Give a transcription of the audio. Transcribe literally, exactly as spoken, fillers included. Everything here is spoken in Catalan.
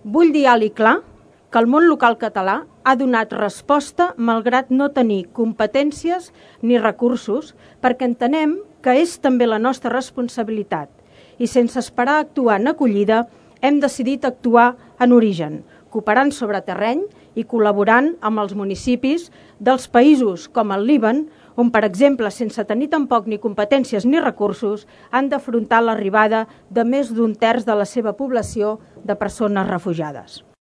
Vull dir alt i clar que el món local català ha donat resposta malgrat no tenir competències ni recursos, perquè entenem que és també la nostra responsabilitat i sense esperar a actuar en acollida hem decidit actuar en origen, cooperant sobre terreny i col·laborant amb els municipis dels països com el Líban, on, per exemple, sense tenir tampoc ni competències ni recursos, han d'afrontar l'arribada de més d'un terç de la seva població de persones refugiades.